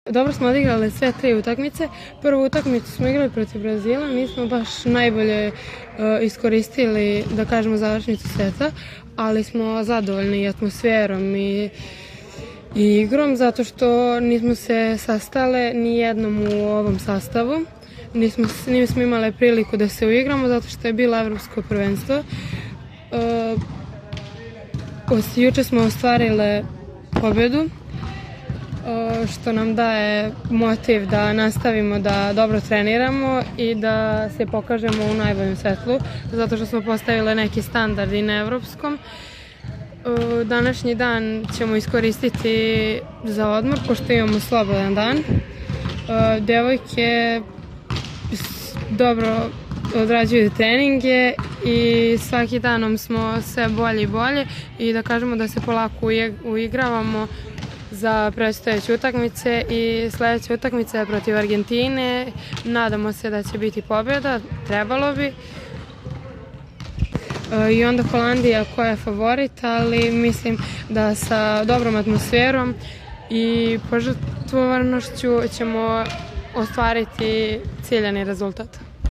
Dobro smo odigrali sve tri utakmice. Prvu utakmicu smo igrali protiv Brazila, nismo baš najbolje iskoristili, da kažemo, završnicu seta, ali smo zadovoljni atmosferom i igrom, zato što nismo se sastale ni jednom u ovom sastavu. Nismo imali priliku da se uigramo, zato što je bilo evropsko prvenstvo. Juče smo ostvarile pobedu, što nam daje motiv da nastavimo da dobro treniramo i da se pokažemo u najboljem svetlu, zato što smo postavili neki standard i na evropskom. Današnji dan ćemo iskoristiti za odmor, pošto imamo slobodan dan. Devojke dobro odrađuju treninge i svaki danom smo sve bolje i bolje i da kažemo da se polako uigravamo za predstojeće utakmice i sledeća utakmica je protiv Argentine. Nadamo se da će biti pobjeda, trebalo bi. I onda Holandija koja je favorit, ali mislim da sa dobrom atmosferom i požrtvovanošću ćemo ostvariti ciljani rezultat.